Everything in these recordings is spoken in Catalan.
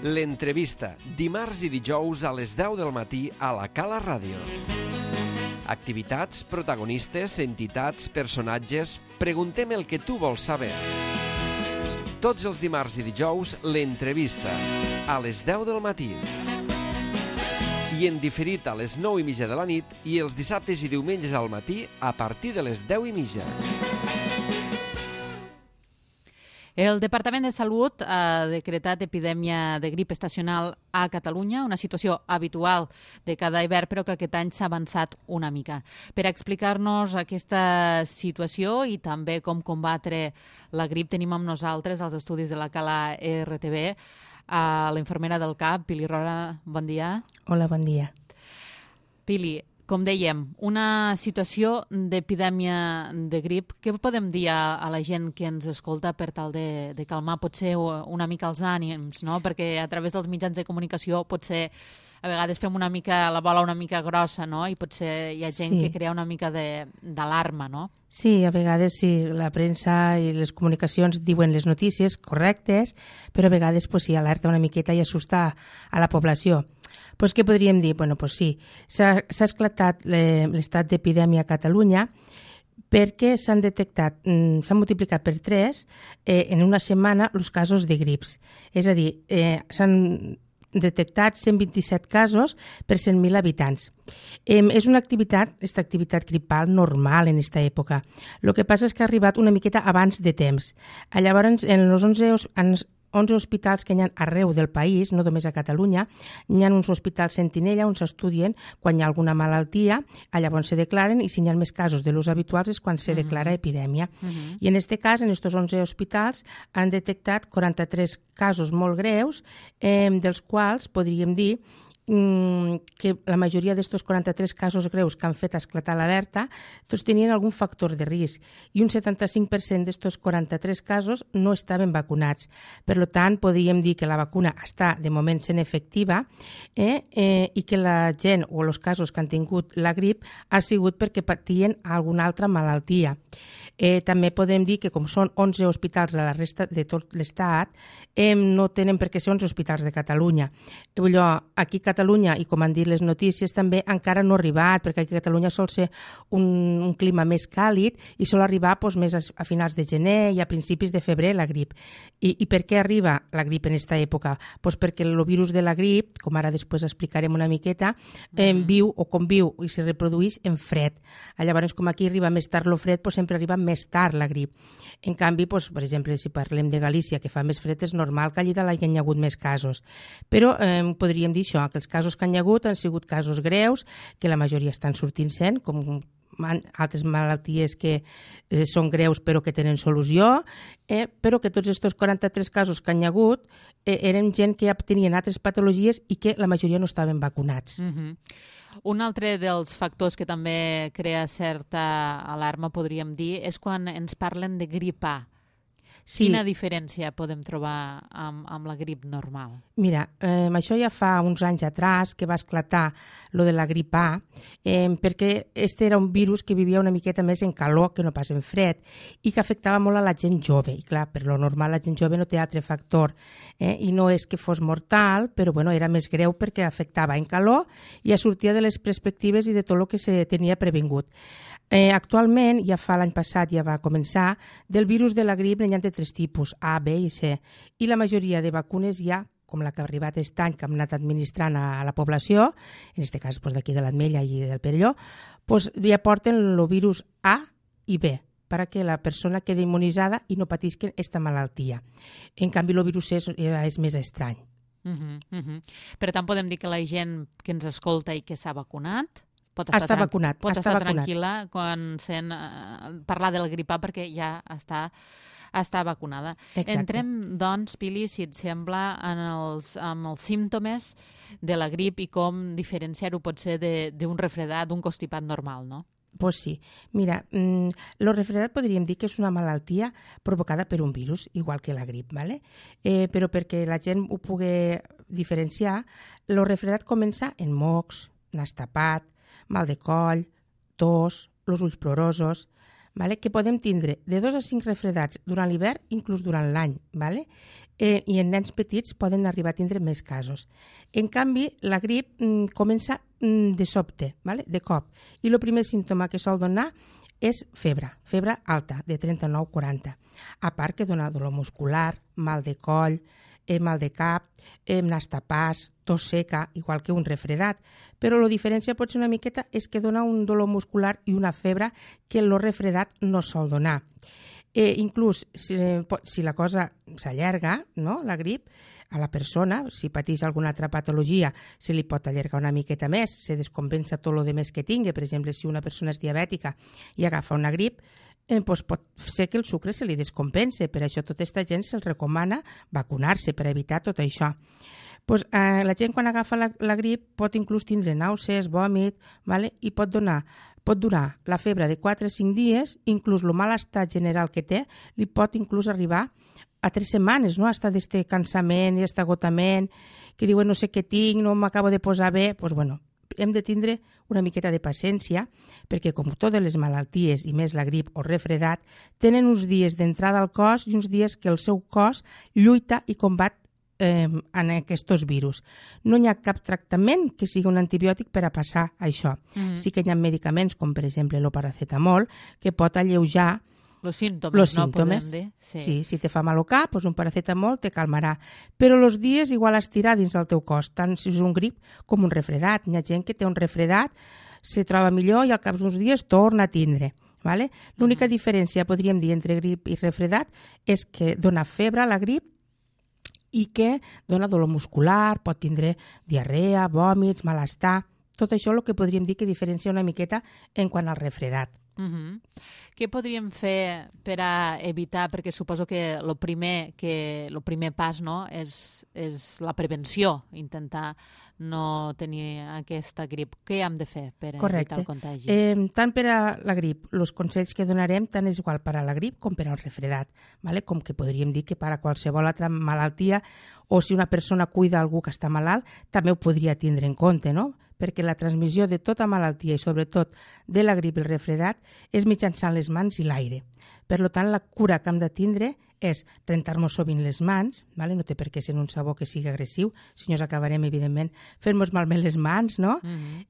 L'entrevista, dimarts i dijous a les 10 del matí a la Cala Ràdio. Activitats, protagonistes, entitats, personatges... Preguntem el que tu vols saber. Tots els dimarts i dijous, l'entrevista, a les 10 del matí. I en diferit a les 9:30 de la nit i els dissabtes i diumenges al matí a partir de les 10:30. El Departament de Salut ha decretat epidèmia de grip estacional a Catalunya, una situació habitual de cada hivern, però que aquest any s'ha avançat una mica. Per explicar-nos aquesta situació i també com combatre la grip, tenim amb nosaltres als estudis de la Cala RTV a la infermera del CAP, Pili Roura. Bon dia. Hola, bon dia. Pili, com dèiem, una situació d'epidèmia de grip. Què podem dir a la gent que ens escolta per tal de calmar potser una mica els ànims, no? Perquè a través dels mitjans de comunicació potser a vegades fem una mica la bola una mica grossa, no? I potser hi ha gent que crea una mica d'alarma, no? Sí, a vegades sí, la premsa i les comunicacions diuen les notícies correctes, però a vegades sí, alerta una miqueta i assusta a la població. Doncs què podríem dir? Doncs sí, s'ha esclatat l'estat d'epidèmia a Catalunya perquè s'han detectat, s'han multiplicat per 3 en una setmana els casos de grips. És a dir, s'han detectat 127 casos per 100.000 habitants. És una activitat gripal normal en aquesta època. El que passa és que ha arribat una miqueta abans de temps. Llavors, en els 11 hospitals que hi ha arreu del país, no només a Catalunya, hi ha uns hospitals sentinella on s'estudien quan hi ha alguna malaltia, llavors se declaren, i si hi ha més casos de l'ús habituals és quan se declara epidèmia. I en aquest cas, en aquests 11 hospitals, han detectat 43 casos molt greus, dels quals podríem dir que la majoria d'aquests 43 casos greus que han fet esclatar l'alerta tots tenien algun factor de risc i un 75% d'aquests 43 casos no estaven vacunats. Per tant, podríem dir que la vacuna està de moment sent efectiva i que la gent o els casos que han tingut la grip ha sigut perquè patien alguna altra malaltia. També podem dir que com són 11 hospitals de la resta de tot l'Estat, no tenen per què ser 11 hospitals de Catalunya. Aquí a Catalunya, i com han dit les notícies, també encara no ha arribat, perquè aquí a Catalunya sol ser un clima més càlid i sol arribar més a finals de gener i a principis de febrer la grip. I per què arriba la grip en aquesta època? Perquè el virus de la grip, com ara després explicarem una miqueta, viu o conviu i se reprodueix en fred. Llavors, com aquí arriba més tard el fred, sempre arriba més tard la grip. En canvi, per exemple, si parlem de Galícia, que fa més fred, és normal que allà hi hagi hagut més casos. Però podríem dir això, que els casos que hi ha hagut han sigut casos greus, que la majoria estan sortint sent, com altres malalties que són greus però que tenen solució, però que tots aquests 43 casos que hi ha hagut eren gent que ja tenien altres patologies i que la majoria no estaven vacunats. Un altre dels factors que també crea certa alarma, podríem dir, és quan ens parlen de grip A. Sí. Quina diferència podem trobar amb la grip normal? Mira, això ja fa uns anys atrás que va esclatar lo de la grip A, perquè este era un virus que vivia una miqueta més en calor que no pas en fred i que afectava molt a la gent jove. I clar, per lo normal la gent jove no té altre factor i no és que fos mortal, però era més greu perquè afectava en calor i ja sortia de les perspectives i de tot el que se tenia previngut. Actualment, ja fa l'any passat, ja va començar, del virus de la grip n'hi ha de 3 tipus, A, B i C, i la majoria de vacunes ja, com la que ha arribat aquest any, que hem anat administrant a la població, en aquest cas d'aquí de l'Ametlla i del Perelló, ja porten el virus A i B, perquè la persona quedi immunitzada i no patisquen aquesta malaltia. En canvi, el virus C és més estrany. Per tant, podem dir que la gent que ens escolta i que s'ha vacunat pot estar vacunat. Pot estar tranquil·la quan sent parlar del grip A perquè ja està vacunada. Exacte. Entrem, doncs, Pili, si et sembla, amb els símptomes de la grip i com diferenciar-ho potser d'un refredat, d'un constipat normal, no? Pues sí. Mira, el refredat podríem dir que és una malaltia provocada per un virus, igual que la grip, ¿vale? Però perquè la gent ho pugui diferenciar, el refredat comença en mocs, nas tapat, mal de coll, tos, els ulls plorosos, vale? Que podem tindre de 2 a 5 refredats durant l'hivern, inclús durant l'any, vale? I en nens petits poden arribar a tindre més casos. En canvi, la grip comença de sobte, vale? De cop, i el primer símptoma que sol donar és febre alta, de 39-40. A part que dona dolor muscular, mal de coll, mal de cap, nas tapats, tos seca, igual que un refredat. Però la diferència pot ser una miqueta és que dona un dolor muscular i una febre que el refredat no sol donar. Inclús si la cosa s'allarga, no? La grip, a la persona, si pateix alguna altra patologia, se li pot allargar una miqueta més, se descompensa tot el més que tingui. Per exemple, si una persona és diabètica i agafa una grip, doncs pot ser que el sucre se li descompense. Per això tota aquesta gent se'ls recomana vacunar-se per evitar tot això. La gent quan agafa la grip pot inclús tindre nàusees, vòmit, vale? I pot durar la febre de 4 a 5 dies, inclús el mal estat general que té, li pot inclús arribar a 3 setmanes, no? Hasta d'este cansament i este agotament, que diuen no sé què tinc, no m'acabo de posar bé. Doncs bueno, hem de tindre una miqueta de paciència, perquè com totes les malalties, i més la grip o refredat, tenen uns dies d'entrada al cos i uns dies que el seu cos lluita i combat en aquests virus. No hi ha cap tractament que sigui un antibiòtic per a passar això. Sí que hi ha medicaments, com per exemple el paracetamol, que pot alleujar los símptomes, no podem dir. Sí, si te fa mal al cap, doncs un paracetamol te calmarà. Però els dies igual estirar dins del teu cos, tant si és un grip com un refredat. Hi ha gent que té un refredat, se troba millor i al cap d'uns dies torna a tindre. Vale? L'única diferència, podríem dir, entre grip i refredat és que dona febre la grip i que dona dolor muscular, pot tindre diarrea, vòmits, malestar. Tot això és el que podríem dir que diferencia una miqueta en quant al refredat. Què podríem fer per a evitar, perquè suposo que el primer pas, no, és la prevenció, intentar no tenir aquesta grip. Què hem de fer per evitar el contagi? Tant per a la grip, els consells que donarem tant és igual per a la grip com per al refredat, vale? Com que podríem dir que per a qualsevol altra malaltia, o si una persona cuida algú que està malalt, també ho podria tindre en compte, no? Perquè la transmissió de tota malaltia i sobretot de la grip i el refredat és mitjançant les mans i l'aire. Per tant, la cura que hem de tindre és rentar-nos sovint les mans, vale? No té per què ser un sabó que sigui agressiu, si no ens acabarem, evidentment, fent-nos malbé les mans, no?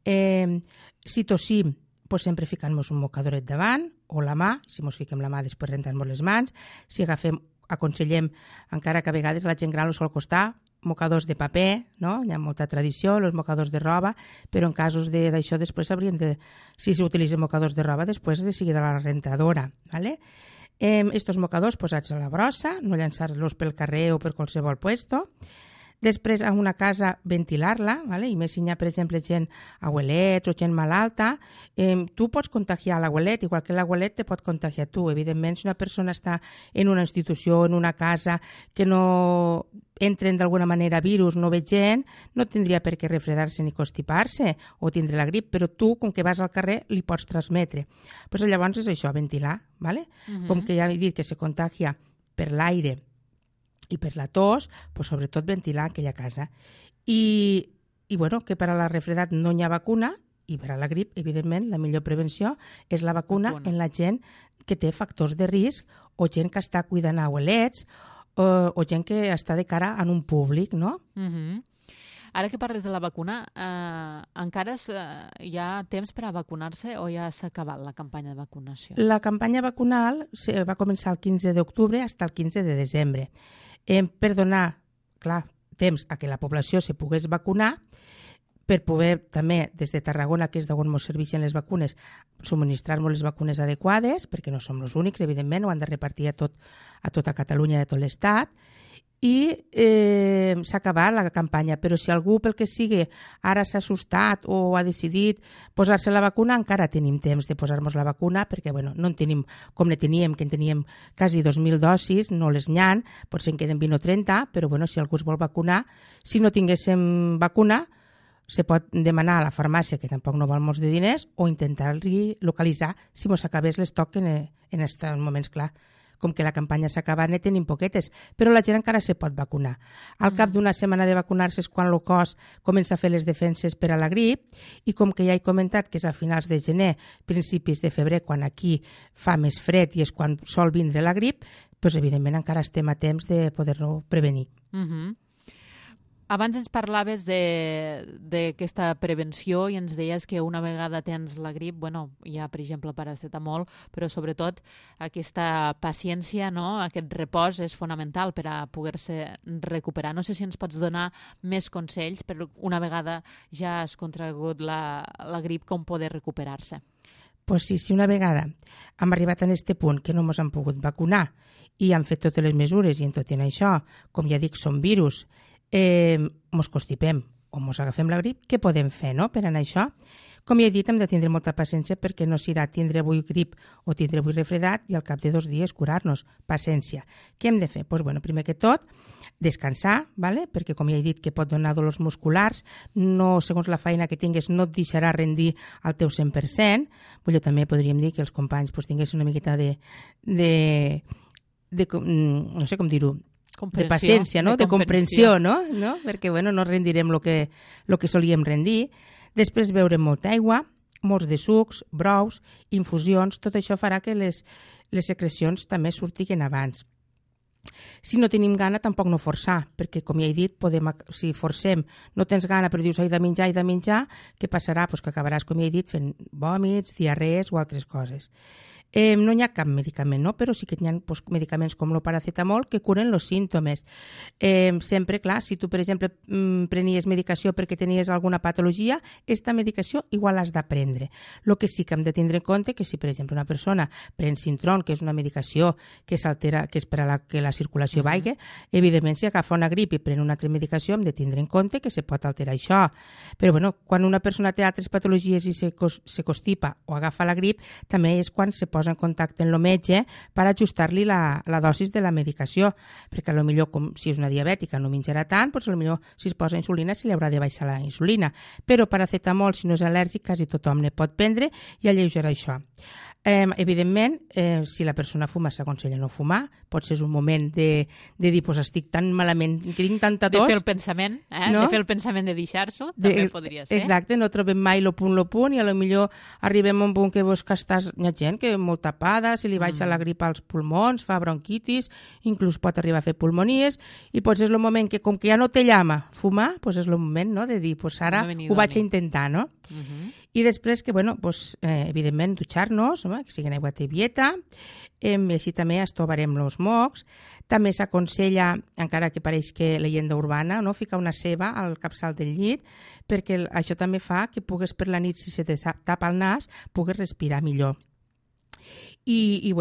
Si tossim, doncs sempre ficant-nos un mocadoret davant, o la mà, si ens fiquem la mà després rentar-nos les mans, si aconsellem, encara que a vegades la gent gran ho sol costar, mocadors de paper, no? Hi ha molta tradició, els mocadors de roba, però en casos d'això després haurien de, si s'utilitzen mocadors de roba, després de seguir de la rentadora, ¿vale? Estos mocadors posats a la brossa, no llançar-los pel carrer o per qualsevol puesto. Després, a una casa, ventilar-la, ¿vale? I més si hi ha, per exemple, gent abuelets o gent malalta, tu pots contagiar l'abuelet, igual que l'abuelet te pot contagiar tu. Evidentment, si una persona està en una institució, en una casa, que no entren d'alguna manera virus, no ve gent, no tindria per què refredar-se ni constipar-se o tindre la grip, però tu, com que vas al carrer, li pots transmetre. Pues llavors és això, ventilar, ¿vale? Com que ja he dit que se contagia per l'aire i per la tos, pues sobretot ventilar aquella casa. I bueno, que per a la refredat no hi ha vacuna, i per a la grip, evidentment, la millor prevenció és la vacuna en la gent que té factors de risc o gent que està cuidant abuelets o gent que està de cara en un públic, no? Ara que parles de la vacuna, encara hi ha temps per a vacunar-se o ja s'ha acabat la campanya de vacunació? La campanya vacunal va començar el 15 d'octubre fins al 15 de desembre. Per donar, clar, temps a que la població se pogués vacunar, per poder també, des de Tarragona, que és d'on ens serveixen les vacunes, subministrar-nos les vacunes adequades, perquè no som els únics, evidentment, ho han de repartir a tota Catalunya i a tot l'Estat, i s'ha acabat la campanya, però si algú pel que sigui ara s'ha assustat o ha decidit posar-se la vacuna, encara tenim temps de posar-nos la vacuna, perquè bueno, no en tenim com ne teníem, que en teníem quasi 2.000 dosis, no les n'hi ha, potser en queden 20 o 30, però bueno, si algú es vol vacunar, si no tinguéssim vacuna, se pot demanar a la farmàcia, que tampoc no val molts de diners, o intentar localitzar si mos acabés l'estoc en aquests moments, clar. com que la campanya s'ha acabat, ne tenim poquetes, però la gent encara se pot vacunar. Al cap d'una setmana de vacunar-se és quan el cos comença a fer les defenses per a la grip, i com que ja he comentat que és a finals de gener, principis de febrer, quan aquí fa més fred i és quan sol vindre la grip, doncs evidentment encara estem a temps de poder-lo prevenir. Abans ens parlaves d'aquesta prevenció i ens deies que una vegada tens la grip, hi ha, per exemple, paracetamol, però sobretot aquesta paciència, no? Aquest repòs és fonamental per a poder-se recuperar. No sé si ens pots donar més consells per una vegada ja has contragut la grip, com poder recuperar-se. Pues sí, si una vegada hem arribat a aquest punt que no ens han pogut vacunar i han fet totes les mesures i en tot i en això, com ja dic, són virus, mos constipem o mos agafem la grip, què podem fer, no?, per anar a això? Com ja he dit, hem de tindre molta paciència perquè no serà tindre avui grip o tindre avui refredat i al cap de 2 dies curar-nos. Paciència. Què hem de fer? Doncs, primer que tot, descansar, ¿vale? Perquè com ja he dit que pot donar dolors musculars, no, segons la feina que tingues, no et deixarà rendir al teu 100%. També podríem dir que els companys tinguessin una miqueta de no sé com dir-ho, de paciència, no? De comprensió, no? Perquè no rendirem el que solíem rendir. Després beure molta aigua, molts de sucs, brous, infusions, tot això farà que les secrecions també surtin abans. Si no tenim gana, tampoc no forçar, perquè, com ja he dit, si forcem, no tens gana, però dius, he de menjar, què passarà? Pues que acabaràs, com ja he dit, fent vòmits, diarrees o altres coses. No hi ha cap medicament, no? Però sí que hi ha medicaments com el paracetamol que curen els símptomes. Sempre, clar, si tu, per exemple, prenies medicació perquè tenies alguna patologia, aquesta medicació igual l'has de prendre. El que sí que hem de tindre en compte que si, per exemple, una persona pren Sintrom, que és una medicació que s'altera, que és per a que la circulació vagi, evidentment, si agafa una grip i pren una altra medicació, hem de tindre en compte que se pot alterar això. Però, quan una persona té altres patologies i se constipa o agafa la grip, també és quan se posa en contacte amb el metge per ajustar-li la dosis de la medicació, perquè potser si és una diabètica no menjarà tant, potser si es posa insulina se li haurà de baixar la insulina, però paracetamol, si no és al·lèrgic, quasi tothom ne pot prendre i alleugerar això. Evidentment, si la persona fuma, s'aconsella no fumar, potser és un moment de dir, estic tan malament, que tinc tanta tos. De fer el pensament, no? De fer el pensament de deixar-s'ho, també podria ser. Exacte, no trobem mai el punt i potser arribem a un punt que hi ha gent que molt tapada, si li baixa la grip als pulmons, fa bronquitis, inclús pot arribar a fer pulmonies, i potser és el moment que, com que ja no té llama fumar, és el moment de dir, ara ho vaig a intentar, no? I després que, evidentment, dutxar-nos, que sigui aigua tibieta, i així també estovarem els mocs. També s'aconsella, encara que pareix que leyenda urbana, ficar una ceba al capçal del llit, perquè això també fa que pugues per la nit, si se te tapa el nas, pugues respirar millor. I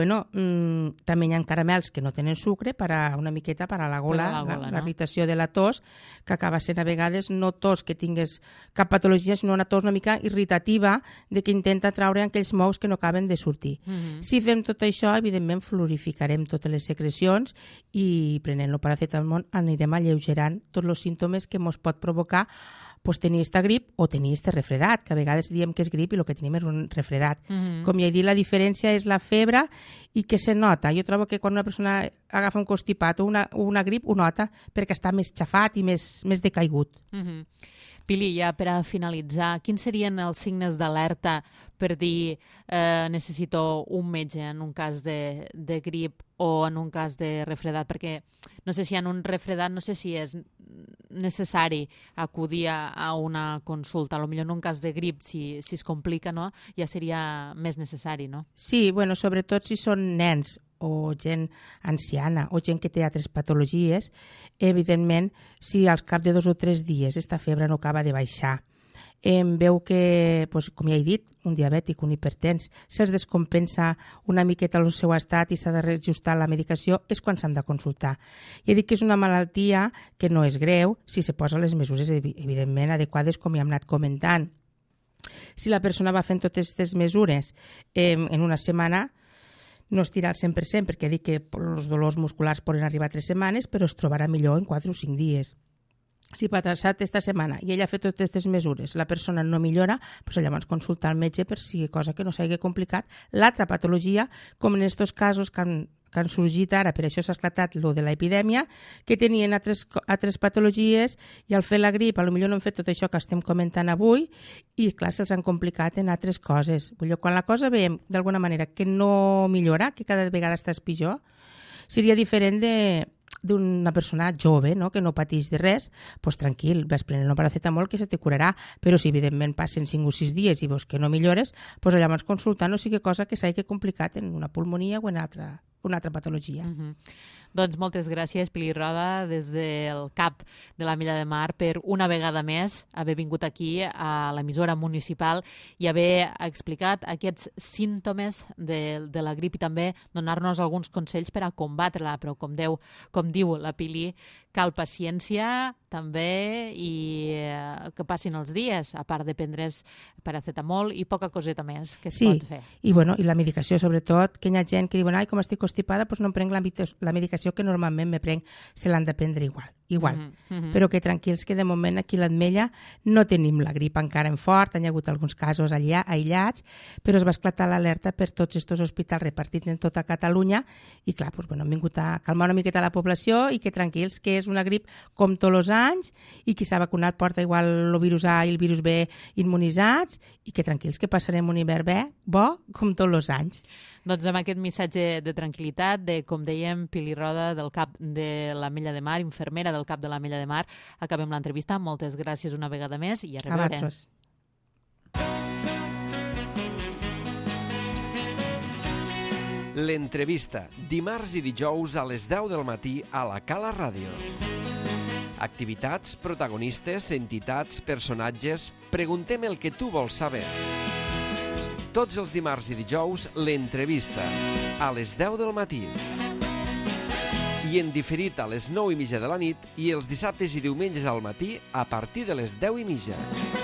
també hi ha caramels que no tenen sucre una miqueta per a la gola, la irritació de la tos, que acaba sent a vegades no tos que tingues cap patologia, sinó una tos una mica irritativa de que intenta traure aquells mous que no acaben de sortir. Si fem tot això, evidentment fluorificarem totes les secrecions i prenent el paracetamol anirem alleugerant tots els símptomes que ens pot provocar tenir aquesta grip o tenir aquest refredat, que a vegades diem que és grip i el que tenim és un refredat. Com ja he dit, la diferència és la febre i que se nota. Jo trobo que quan una persona agafa un constipat o una grip ho nota perquè està més xafat i més decaigut. Pili, ja per a finalitzar, quins serien els signes d'alerta per dir necessito un metge en un cas de grip o en un cas de refredat? Perquè no sé si en un refredat no sé si és necessari acudir a una consulta. Potser en un cas de grip, si es complica, no? Ja seria més necessari, no? Sí, sobretot si són nens o gent anciana o gent que té altres patologies, evidentment, si al cap de 2 o 3 dies aquesta febre no acaba de baixar, veu que, com ja he dit, un diabètic, un hipertens, se'ls descompensa una miqueta el seu estat i s'ha de reajustar la medicació, és quan s'han de consultar. I he dit que és una malaltia que no és greu si se posen les mesures, evidentment, adequades, com ja hem anat comentant. Si la persona va fent totes aquestes mesures en una setmana, no estirà al 100%, perquè dic que els dolors musculars poden arribar a 3 setmanes, però es trobarà millor en 4 o 5 dies. Si ha passat aquesta setmana i ella ha fet totes aquestes mesures, la persona no millora, llavors consultar el metge per si cosa que no s'hagi complicat l'altra patologia, com en aquests casos que que han sorgit ara, per això s'ha esclatat lo de l'epidèmia, que tenien altres patologies i al fer la grip potser no han fet tot això que estem comentant avui i clar, se'ls han complicat en altres coses. Quan la cosa veiem d'alguna manera que no millora, que cada vegada estàs pitjor, seria diferent d'una persona jove, no? Que no pateix de res, doncs tranquil, vas prenent un paracetamol que se te curarà, però si evidentment passen 5 o 6 dies i veus que no millores, doncs llavors consultar no sigui cosa que s'hagi complicat en una pulmonia o en una altra patologia. Doncs moltes gràcies, Pili Roda, des del CAP de l'Ametlla de Mar, per una vegada més haver vingut aquí a l'emissora municipal i haver explicat aquests símptomes de la grip i també donar-nos alguns consells per a combatre-la, però com diu la Pili, cal paciència també i que passin els dies, a part de prendre's paracetamol i poca coseta més que es pot fer. I la medicació, sobretot, que hi ha gent que diuen com estic constipada, doncs no em prenc la medicació que normalment me prenc, se l'han de prendre igual. Però que tranquils que de moment aquí a l'Ametlla no tenim la grip encara en fort, hi ha hagut alguns casos aïllats, però es va esclatar l'alerta per tots aquests hospitals repartits en tota Catalunya i clar, han vingut a calmar una miqueta la població i que tranquils que és una grip com tots els anys i qui s'ha vacunat porta igual el virus A i el virus B immunitzats i que tranquils que passarem un hivern bo com tots els anys. Doncs amb aquest missatge de tranquil·litat, com dèiem, Pili Roda, del CAP de l'Ametlla de Mar, infermera del CAP de l'Ametlla de Mar, acabem l'entrevista. Moltes gràcies una vegada més i a reveure. A vosaltres. L'entrevista, dimarts i dijous a les 10 del matí a la Cala Ràdio. Activitats, protagonistes, entitats, personatges... Preguntem el que tu vols saber. Tots els dimarts i dijous, l'entrevista, a les 10 del matí. I en diferit a les 9:30 de la nit i els dissabtes i diumenges al matí a partir de les 10:30.